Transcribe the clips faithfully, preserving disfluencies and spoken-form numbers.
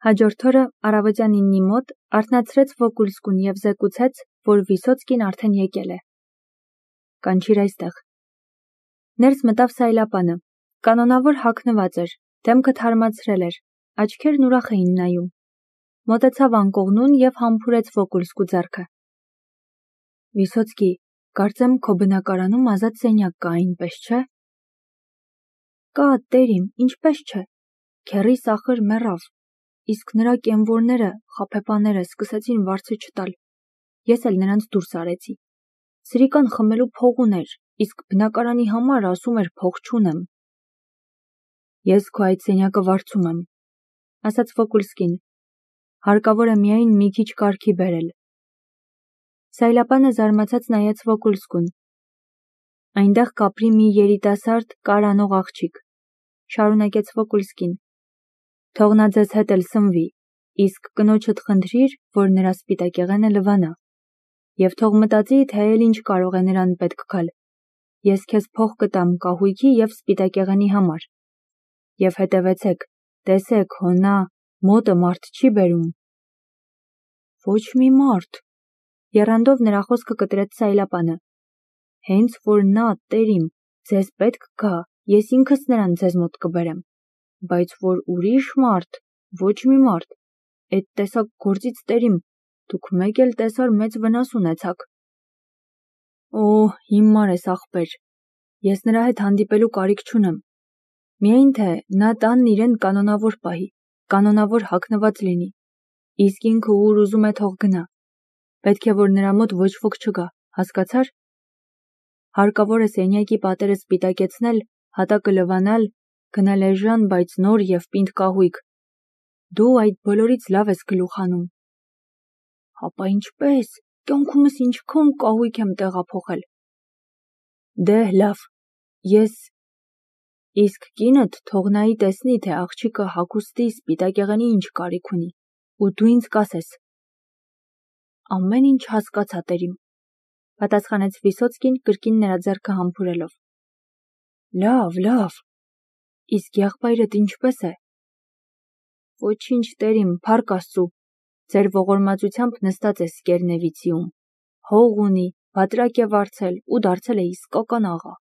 Հաջորդ օրը առավոտյան իննի մոտ արթնացրեց Վոկուլսկուն և զեկուցեց, որ Վիսոցկին արդեն եկել է։ Կանչիր այստեղ։ Ներս մտավ Սայլապանը։ Կանոնավոր հագնված էր, դեմքը թարմացրել էր, աչքերն ուրախ էին նայում։ Մոտեցավ անկողնուն և համբուրեց Վոկուլսկու ձեռքը։ Վիսոցկի, կարծեմ քո բնակարանում ազատ սենյակ կա, այնպես չէ։ Կա, տերիմ, ինչպես չէ։ Քեռիս ախր մեռավ, իսկ նրա կենվորները, խաբեբաները սկսեցին վարձը չտալ։ Ես էլ նրանց դուրս արեցի։ Սրիկան խմելու փող ուներ, իսկ բնակարանի համար ասում էր փող չունեմ։ Ես քո այդ սենյակը վարձում եմ, ասաց Վոկուլսկին։ Հարկավոր է միայն մի քիչ կարգի բերել։ Սայլապանը զարմացած նայեց Վոկուլսկուն։ Այնտեղ կապրի մի երիտասարդ կարանող աղջիկ, շարունակեց Վոկուլսկին։ Թող նա ձեզ հետ էլ սնվի, իսկ կնոջդ խնդրիր, որ նրա սպիտակեղենը լվանա, և թող մտածի, թե էլ ինչ կարող է նրան պետք գալ։ Ես քեզ փող կտամ կահույքի և սպիտակեղենի համար։ Եվ հետևեցեք, տեսեք, հո նա մոտը մարդ չի բերում։ Ոչ մի մարդ, եռանդով նրա խոսքը կտրեց Սայլապանը։ Հենց որ նա, տերիմ, ձեզ պետք գա, ես ինքս նրան ձեզ մոտ կբերեմ, բայց որ ուրիշ մարդ, ոչ մի մարդ, էդ տեսակ գործից, տերիմ, դուք մեկ էլ տեսար մեծ վնաս ունեցաք։ Օ, հիմար ես ախպեր, ես նրա հետ հանդիպելու կարիք չունեմ։ Միայն թե նա տանն իրեն կանոնավոր պահի, կանոնավոր հագնված լինի, իսկ ինքը ուր ուզում է թող գնա։ Պետք է, որ նրա մոտ ոչ ոք չգա, հասկացար։ Հարկավոր է սենյակի պատերը սպիտակեցնել, հատակը լվանալ, գնել էժան, բայց նոր և պինդ կահույք։ Դու այդ բոլորից լավ ես գլուխ հանում։ Հապա ինչպես, կյանքումս ինչքան կահույք եմ տեղափոխել։ Դե լավ, ես… Իսկ կինդ թող նայի տեսնի, թե աղջիկը հագուստի, սպիտակեղենի ինչ կարիք ունի, ու դու ինձ կասես։ Ամեն ինչ հասկացա, տերիմ, պատասխանեց Վիսոցկին կրկին նրա ձեռքը համբուրելով։ Լավ, լավ, իսկ եղբայրդ ինչպես է։ Ոչինչ, տերիմ, փառք Աստծու, ձեր ողորմածությամբ նստած է Սկերնևիցիում, հող ունի, բատրակ է վարձել ու դարձել է իսկական աղա։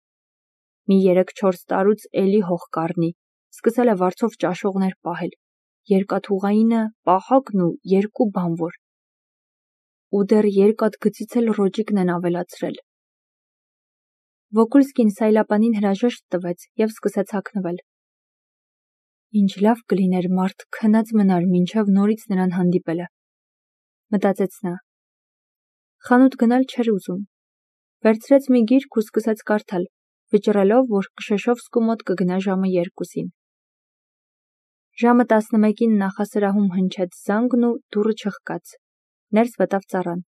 Մի երեք-չորս տարուց էլի հող կառնի, սկսել է վարձով ճաշողներ պահել, երկաթուղայինը, պահակն ու երկու բանվոր։ Ու դեռ երկաթ գծից էլ ռոճիկն են ավելացրել։ Վոկուլսկին Սայլապանին հրաժեշտ տվեց և սկսեց հագնվել։ Ինչ լավ կլիներ մարդ քնած մնար մինչև նորից նրան հանդիպելը, մտածեց նա։ Խանութ գնալ չէր ուզում։ Վերցրեց մի գիրք ու սկսեց կարդալ, վճռելով, որ Կշեշովսկու մոտ կգնա ժամը երկուսին։ Ժամը տասնմեկին նախասրահում հնչեց զանգն ու դուռը չխկաց։ Ներս մտավ ծառան։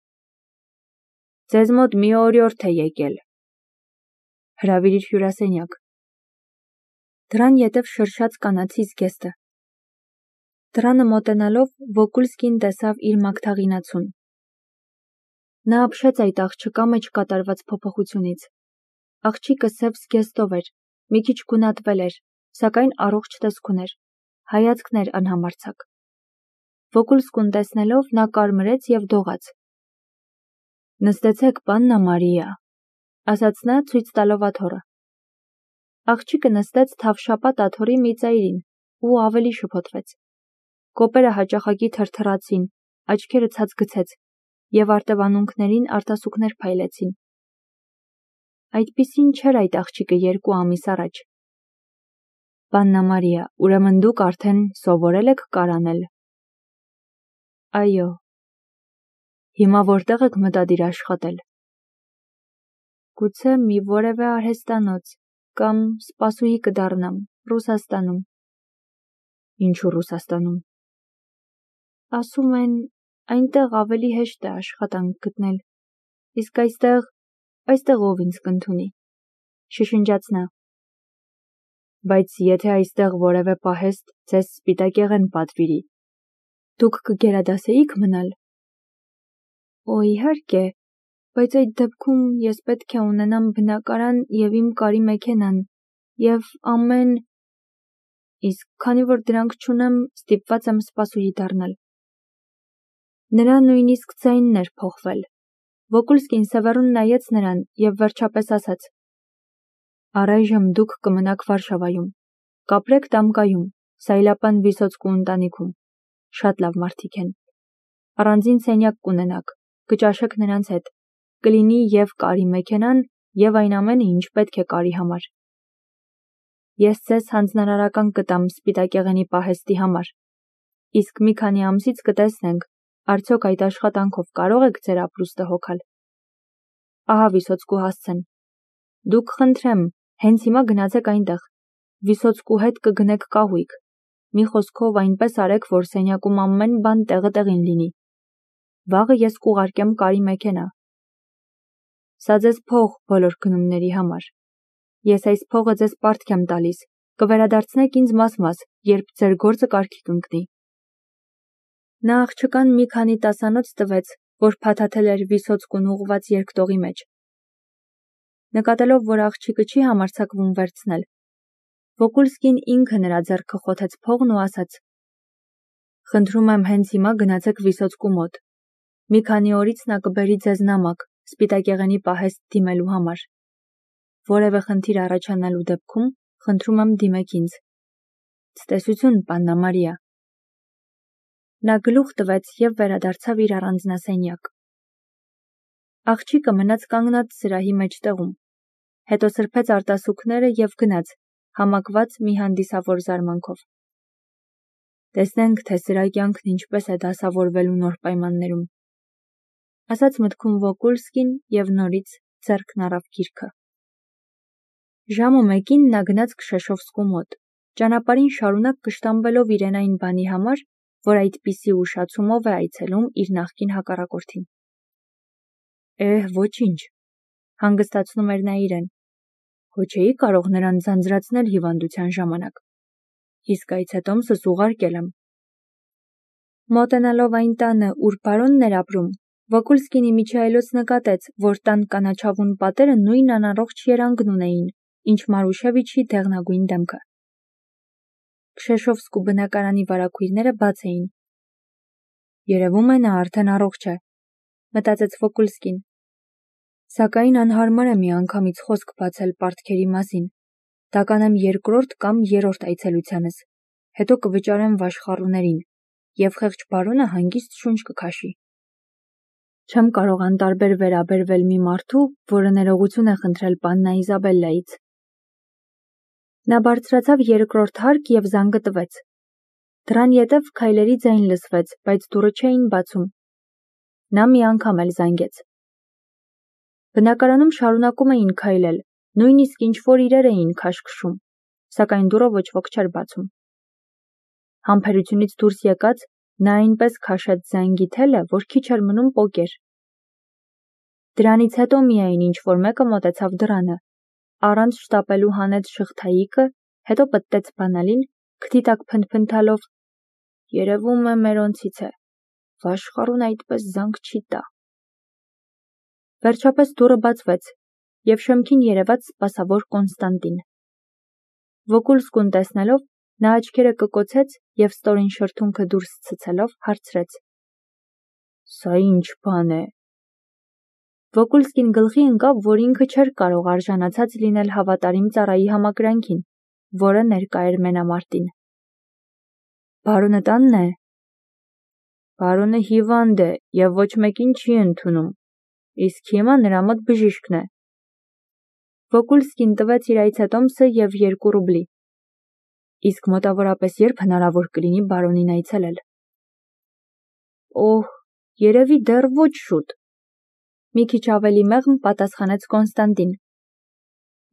Ձեզ մոտ մի օրիորդ է եկել։ Հրավիրիր հյուրասենյակ։ Դռան ետև շրշաց կանացի զգեստը։ Դռանը մոտենալով Վոկուլսկին տեսավ իր մագթաղինացուն։ Նա ապշեց այդ աղջկա մեջ կատարված փոփոխությունից։ Աղջիկը սև զգեստով էր, մի քիչ գունատվել էր, սակայն առողջ տեսք ուներ, հայացքն էր անհամարձակ։ Վոկուլսկուն տեսնելով նա կարմրեց և դողաց։ Նստեցեք, պաննա Մարիա, ասաց նա ցույց տալով աթոռը։ Աղջիկը նստեց թավշապատ աթոռի մի ծայրին ու ավելի շփոթվեց։ Կոպերը հաճախակի թրթռացին, աչքերը ցած գցեց, և արտևանունքներին արտասուքներ փայլեցին։ Այդպիսին չէր այդ աղջիկը երկու ամիս առաջ։ Պաննա Մարիա, ուրեմն դուք արդեն սովորել եք կարանել։ Այո։ Հիմա որտեղ եք մտադիր աշխատել։ Գուցե մի որևէ արհեստանոց կամ սպասուհի կդառնամ Ռուսաստանում։ Ինչու Ռուսաստանում։ Ասում են, այնտեղ ավելի հեշտ է աշխատանք գտնել, իսկ այստեղ, այստեղ ով ինձ կընդունի, շշնջաց նա։ Բայց եթե այստեղ որևէ պահեստ ձեզ սպիտակեղեն պատվիրի, դուք կգերադասեի՞ք մնալ։ Օ, իհարկե, բայց այդ դեպքում ես պետք է ունենամ բնակարան և իմ կարի մեքենան, և ամեն… իսկ քանի որ դրանք չունեմ, ստիպված եմ սպասուհի դառնալ։ Նրա նույնիսկ ձայնն էր փոխվել։ Վոկուլսկին սևեռուն նայեց նրան և վերջապես ասաց. «Առայժմ դուք կմնաք Վարշավայում, կապրեք Դամկայում, Սայլապան Վիսոցկու ընտանիքում, շատ լավ մարդիկ են։ Առանձին սենյակ կունենաք, կճաշեք նրանց հետ, կլինի և կարի մեքենան, և այն ամենը, ինչ պետք է կարի համար։ Ես ձեզ հանձնարարական կտամ սպիտակեղենի պահեստի համար, իսկ մի քանի ամսից կտեսնենք, արդյոք այդ աշխատանքով կարող եք ձեր ապրուստը հոգալ։ Ահա Վիսոցկու հասցեն։ Դուք խնդրեմ, հենց հիմա գնացեք այնտեղ, Վիսոցկու հետ կգնեք կահույք, մի խոսքով այնպես արեք, որ սենյակում ամեն բան տեղը տեղին լինի։ Վաղը ես կուղարկեմ կարի մեքենա։ Սա ձեզ փող բոլոր գնումների համար։ Ես այս փողը ձեզ պարտք եմ տալիս, կվերադարձնեք ինձ մաս-մաս, երբ ձեր գործը կարգի կընկնի։ Նա աղջկան մի քանի տասանոց տվեց, որ փաթաթել էր Վիսոցկուն ուղղված երկտողի մեջ։ Նկատելով, որ աղջիկը չի համարձակվում վերցնել, Վոկուլսկին ինքը նրա ձեռքը խոթեց փողն ու ասաց. «Խնդրում եմ հենց հիմա գնացեք Վիսոցկու մոտ։ Մի քանի օրից նա կբերի ձեզ նամակ, սպիտակեղենի պահեստ դիմելու համար։ Որևէ խնդիր առաջանալու դեպքում խնդրում եմ դիմեք ինձ։ Ցտեսություն, Պաննա Մարիա»։ Նա գլուխ տվեց և վերադարձավ իր առանձնասենյակ։ Աղջիկը մնաց կանգնած սրահի մեջտեղում, հետո սրբեց արտասուքները և գնաց, համակված մի հանդիսավոր զարմանքով։ Տեսնենք, թե սրա կյանքն ինչպես է դասավորվելու նոր պայմաններում, ասաց մտքում Վոկուլսկին և նորից ձեռքն առավ գիրքը։ Ժամը մեկին նա գնաց Քշեշովսկու մոտ, ճանապարհին շարունակ կշտամբելով իրեն այն բանի համար, որ այդպիսի ուշացումով է այցելում իր նախկին հակառակորդին։ Էհ, ոչինչ, հանգստացնում էր նա իրեն, հո չէի կարող նրան ձանձրացնել հիվանդության ժամանակ, իսկ այց հետոմսս ուղարկել եմ։ Մոտենալով այն տանը, ուր բարոնն էր ապրում, Վոկուլսկին իմիջիայլոց նկատեց, որ տան կանաչավուն պատերը նույն անառողջ երանգն ունեին, ինչ Մարուշևիչի դեղնագույն դեմքը։ Քշեշովսկու բնակարանի վարագույրները բաց էին։ Երևում է նա արդեն առողջ է, մտածեց Վոկուլսկին։ Սակայն անհարմար է միանգամից խոսք բացել պարտքերի մասին, դա կանեմ երկրորդ կամ երրորդ այցելությանս, հետո կվճարեմ վաշխառուներին, և խեղճ բարոնը հանգիստ շունչ կքաշի։ Չեմ կարող անտարբեր վերաբերվել մի մարդու, որը ներողություն է խնդրել Պաննա Իզաբելլայից։ Նա բարձրացավ երկրորդ հարկ և զանգը տվեց։ Դռան ետև քայլերի ձայն լսվեց, բայց դուռը չէին բացում։ Նա մի անգամ էլ զանգեց։ Բնակարանում շարունակում էին քայլել, նույնիսկ ինչ-որ իրեր էին քաշքշում, սակայն դուռը ոչ ոք չէր բացում։ Համբերությունից դուրս եկած, նա այնպես քաշեց զանգի թելը, որ քիչ էր մնում պոկեր։ Դրանից հետո միայն ինչ-որ մեկը մոտեցավ դռանը, առանց շտապելու հանեց շղթայիկը, հետո պտտեց բանալին, քթի տակ փնթփնթալով. երևում է մերոնցից է, վաշխառուն այդպես զանգ չի տա։ Վերջապես դուռը բացվեց, և շեմքին երևաց սպասավոր Կոնստանտին։ Վոկուլսկուն տեսնելով, նա աչքերը կկոցեց և ստորին շրթունքը դուրս ցցելով հարցրեց. Սա ինչ բան է։ Վոկուլսկին գլխի ընկավ, որ ինքը չէր կարող արժանացած լինել հավատարիմ ծառայի համակրանքին, որը ներկա էր մենամարտին։ Բարոնը տանն է։ Բարոնը հիվանդ է և ոչ մեկին չի ընդունում, իսկ հիմա նրա մոտ բժիշկն է։ Վոկուլսկին տվեց իր այցետոմսը և երկու ռուբլի։ Իսկ մոտավորապես երբ հնարավոր կլինի բարոնին այցելել։ Օհ, երևի դեռ ոչ շուտ։ Մի քիչ ավելի մեղմ պատասխանեց Կոնստանտին։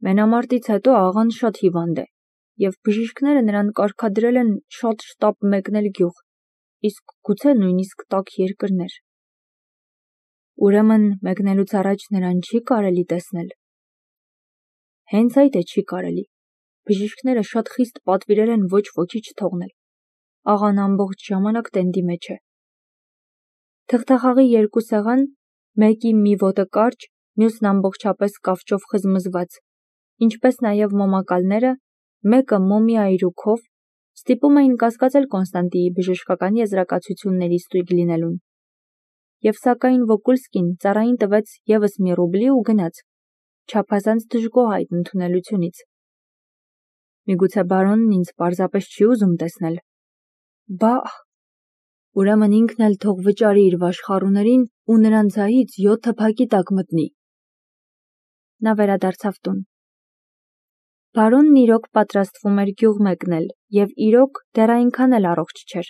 Մենամարտից հետո աղան շատ հիվանդ է, և բժիշկները նրան կարգադրել են շատ շտապ մեկնել գյուղ, իսկ գուցե նույնիսկ տաք երկրներ։ Ուրեմն մեկնելուց առաջ նրան չի կարելի տեսնել։ Հենց այդ է չի կարելի։ Բժիշկները շատ խիստ պատվիրել են ոչ ոքի չթողնել։ Աղան ամբողջ ժամանակ տենդի մեջ է։ Թղթախաղի երկու սեղան, մեկի մի ոտը կարճ, մյուսն ամբողջապես կավճով խզմզված, ինչպես նաև մոմակալները, մեկը մոմի այրուքով, Ստիպում էին կասկածել Կոնստանտիի բժշկական եզրակացությունների ստույգ լինելուն։ Եվ սակայն Վոկուլսկին ծառային տվեց ևս մի ռուբլի ու գնաց, չափազանց դժգոհ այդ ընդունելությունից։ Միգուցե բարոնն ինձ պարզապես չի ուզում տեսնել։ Բա, ուրեմն ինքն էլ թող վճարի իր վաշխառուներին ու նրանց ձայից յոթը փակի տակ մտնի։ Նա վերադարձավ տուն։ Բարոնն իրոք պատրաստվում էր գյուղ մեկնել և իրոք դեռ այնքան էլ առողջ չէր,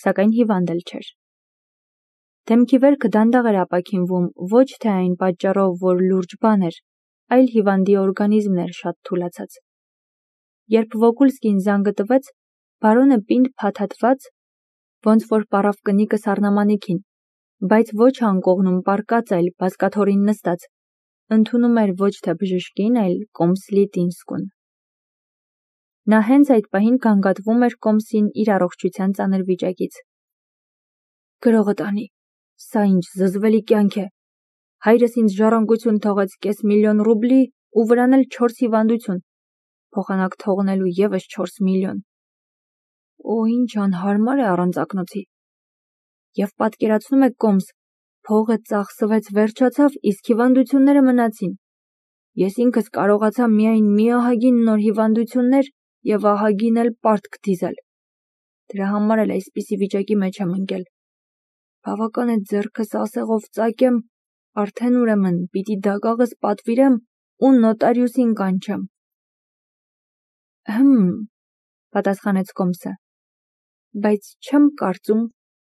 սակայն հիվանդ էլ չէր։ Դեմքի վերքը դանդաղ էր ապաքինվում ոչ թե այն պատճառով, որ լուրջ բան էր, այլ հիվանդի օրգանիզմն էր շատ թուլացած։ Երբ Վոկուլսկին զանգը տվեց, բարոնը պինդ փաթաթված, ոնց որ պառավ կնիկը սառնամանիքին, բայց ոչ անկողնում պառկած, այլ բազկաթոռին նստած, ընդունում էր ոչ թե բժշկին, այլ կոմսլի Տինսկուն։ Նա հենց այդ պահին գանգատվում էր կոմսին իր առողջության ծանր վիճակից։ Գրողը տանի, սա ինչ զզվելի կյանք է։ Հայրս ինձ ժառանգություն թողեց կես միլիոն ռուբլի ու վրան էլ չորս հիվանդություն, փոխանակ թողնելու ևս չորս միլիոն։ Օ, ինչ անհարմար է առանց ակնոցի։ Եվ պատկերացնում եք կոմս, փողը ծախսվեց վերջացավ, իսկ հիվանդությունները մնացին։ Ես ինքս կարողացա միայն մի ահագին նոր հիվանդություններ և ահագին էլ պարտք դիզել։ Դրա համար էլ այսպիսի վիճակի մեջ եմ ընկել։ Բավական է ձեռքս ասեղով ծակեմ, արդեն ուրեմն պիտի դագաղս պատվիրեմ ու նոտարիուսին կանչեմ։ Հմ, պատասխանեց կոմսը, բայց չեմ կարծում,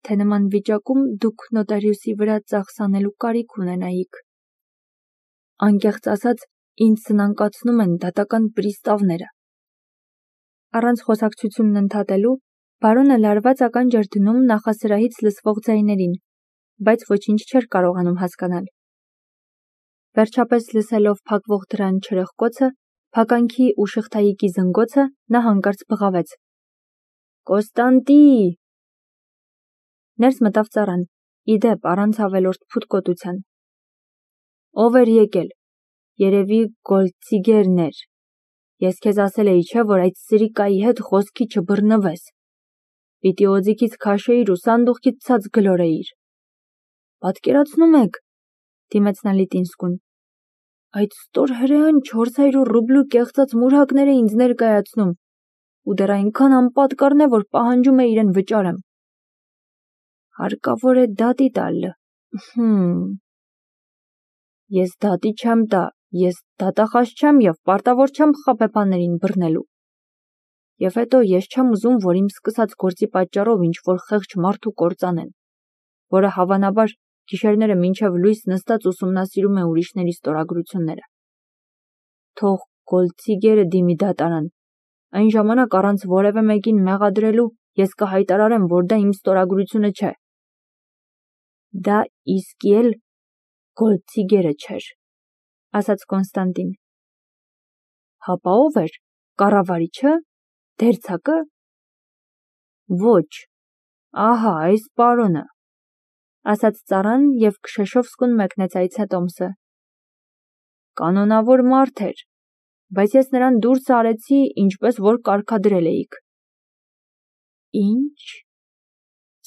թե նման վիճակում դուք նոտարիուսի վրա ծախս անելու կարիք ունենայիք։ Անկեղծ ասած, ինձ սնանկացնում են դատական պրիստավները։ Առանց խոսակցությունն ընդհատելու, բարոնը լարված ականջ էր դնում նախասրահից լսվող ձայներին, բայց ոչինչ չէր կարողանում հասկանալ։ Վերջապես լսելով փակվող դռան չրխկոցը, փականքի ու շղթայիկի զնգոցը, նա հանկարծ բղավեց. Կոստանտի… Ներս մտավ ծառան, ի դեպ առանց ավելորդ փութկոտության։ Ով էր եկել։ Երևի Գոլդցիգերն էր։ Ես քեզ ասել էի, չէ, որ այդ սրիկայի հետ խոսքի չբռնվես։ Պիտի օձիքից քաշեիր ու սանդուղքից ցած գլորեիր։ Պատկերացնում եք, դիմեց նա Լիտինսկուն, այդ ստոր հրեան չորս հարյուր ռուբլու կեղծած մուրհակներ է ինձ ներկայացնում ու դեռ այնքան անպատկառն է, որ պահանջում է իրեն վճարեմ։ Հարկավոր է դատի տալ։ Հմ… Ես դատի չեմ տա, ես դատախազ չեմ և պարտավոր չեմ խաբեբաներին բռնելու։ Եվ հետո ես չեմ ուզում, որ իմ սկսած գործի պատճառով ինչ-որ խեղճ մարդու կործանեն, որը հավանաբար գիշերները մինչև լույս նստած ուսումնասիրում է ուրիշների ստորագրությունները։ Թող Գոլդցիգերը դիմի դատարան, այն ժամանակ առանց որևէ մեկին մեղադրելու ես կհայտարարեմ, որ դա իմ ստորագրությունը չէ։ Դա իսկի էլ Գոլդցիգերը չէր, ասաց Կոնստանտին։ Հապա ով էր, կառավարիչը, դերձակը։ Ոչ, ահա այս պարոնը, ասաց ծառան և Քշեշովսկուն մեկնեց այցետոմսը։ Կանոնավոր մարդ էր, բայց ես նրան դուրս արեցի, ինչպես որ կարգադրել էիք։ Ինչ…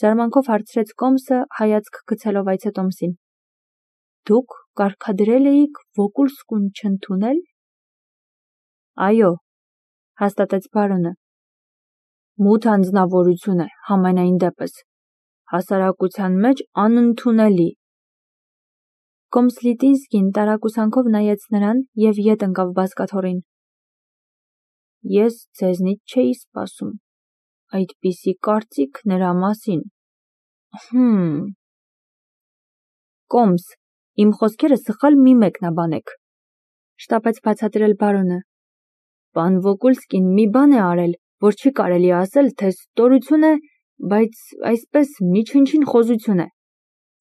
Զարմանքով հարցրեց կոմսը, հայացք գցելով այցետոմսին։ Դուք կարգադրել էիք Վոկուլսկուն չընդունել։ Այո, հաստատեց բարոնը։ Մութ անձնավորություն է, համենայն դեպս, հասարակության մեջ անընդունելի։ Կոմս Լիտինսկին տարակուսանքով նայեց նրան և ետ ընկավ բազկաթոռին։ Ես ձեզնից չէի սպասում այդպիսի կարծիք նրա մասին։ Հմ… Կոմս, իմ խոսքերը սխալ մի մեկնաբանեք, շտապեց բացատրել բարոնը։ Պան Վոկուլսկին մի բան է արել, որ չի կարելի ասել, թե ստորություն է, բայց այսպես միջնչին խոզություն է,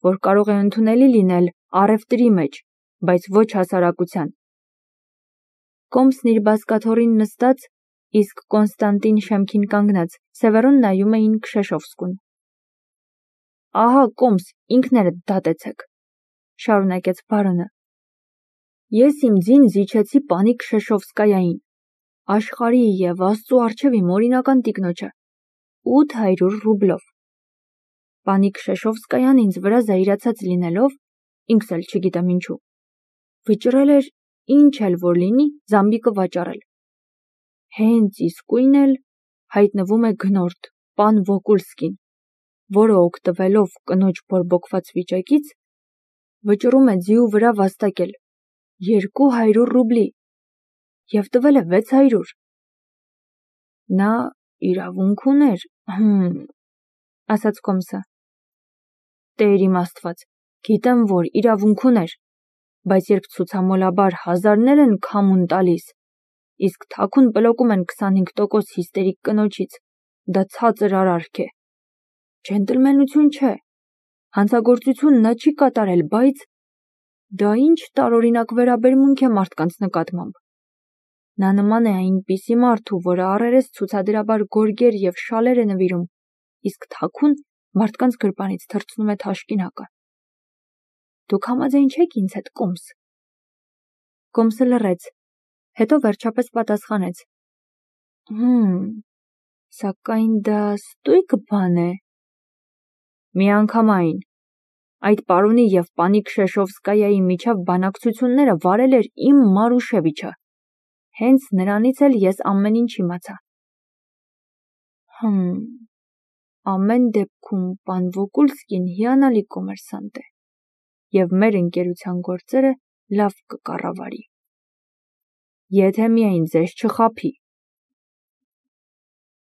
որ կարող է ընդունելի լինել առևտրի մեջ, բայց ոչ հասարակության։ Կոմսն իր բազկաթոռին նստած, իսկ Կոնստանտին շեմքին կանգնած, սևեռուն նայում էին Քշեշովսկուն։ Ահա, կոմս, ինքներդ դատեցեք, շարունակեց բարոնը։ Ես իմ ձին զիջեցի պանի Քշեշովսկայային, աշխարհի և Աստծու առջև իմ օրինական տիկնոջը, ութ հարյուր ռուբլով։ Պանի Քշեշովսկայան ինձ վրա զայրացած լինելով, ինքս էլ չգիտեմ ինչու, վճռել էր ինչ էլ որ լինի զամբիկը վաճառել։ Հենց իսկույն էլ հայտնվում է գնորդ պան Վոկուլսկին, որը օգտվելով կնոջ բորբոքված վիճակից, վճռում է ձիու վրա վաստակել երկու հարյուր ռուբլի և տվել է վեց հարյուր։ Նա իրավունք ուներ, հմ, ասաց Կոմսը։ Տեր իմ Աստված, գիտեմ, որ իրավունք ուներ, բայց երբ ցուցամոլաբար հազարներ են քամուն տալիս, իսկ թաքուն պլոկում են քսանհինգ տոկոս հիստերիկ կնոջից, դա ցածր արարք է։ Ջենտլմենություն չէ, հանցագործություն նա չի կատարել, բայց դա ինչ տարօրինակ վերաբերմունք է մարդկանց նկատմամբ։ Նա նման է այնպիսի մարդու, որը առերես ցուցադրաբար գորգեր և շալեր է նվիրում, իսկ թաքուն մարդկանց գրպանից թռցնում է թաշկինակը։ Դուք համաձայն չեք ինձ հետ, Կոմս։ Կոմսը լռեց, հետո վերջապես պատասխանեց. Հմ, սակայն դա ստույգ բան է։ Միանգամայն, այդ պարոնի և պանի Քշեշովսկայայի միջև բանակցությունները վարել էր իմ Մարուշևիչը, հենց նրանից էլ ես ամեն ինչ իմացա։ Հմ, ամեն դեպքում պան Վոկուլսկին հիանալի կոմերսանտ է և մեր ընկերության գործերը լավ կկառավարի։ Եթե միայն ձեզ չխաբի։